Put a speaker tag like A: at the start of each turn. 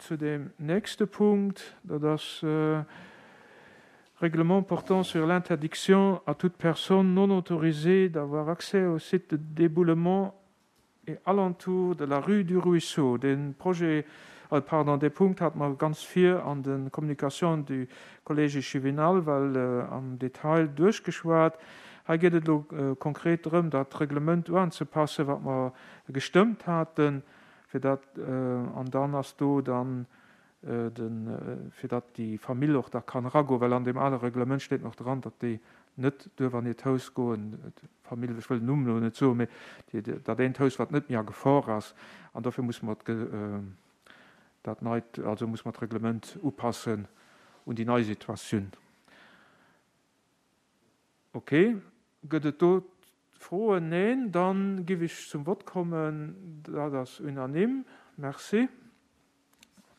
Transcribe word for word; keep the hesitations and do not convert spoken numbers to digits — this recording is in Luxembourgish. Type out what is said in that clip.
A: zu dem nächste Punkt, dat ass Règlement portant sur l'interdiction à toute personne non autorisée d'avoir accès au site de déboulement et alentour de la rue du Ruisseau. Den Projet, pardon, dee Punkt hate mer ganz vir an de Communications du Collège échevinal well am Detail duerchgeschwat. Hei geet et elo konkret drëm, dat Reglement uanzepassen, wat mer gestëmmt haten, fir dat, an dann ass do dann de, fir datt déi Famill och da kann eragoen, well an deem ale Reglement steet nach dran, datt déi net duerf an hiert Haus goen, d'Famill, ech wëll den Numm elo net soen, mee déi, dat eent Haus, wat net méi a Gefor ass. An dofir musse mer dat neit, also musse mer d'Reglement upassen un déi nei Situatioun. Ok, gëtt et do Froen? Neen, dann giff ech zum Vott kommen. Dat ass unanime. Merci.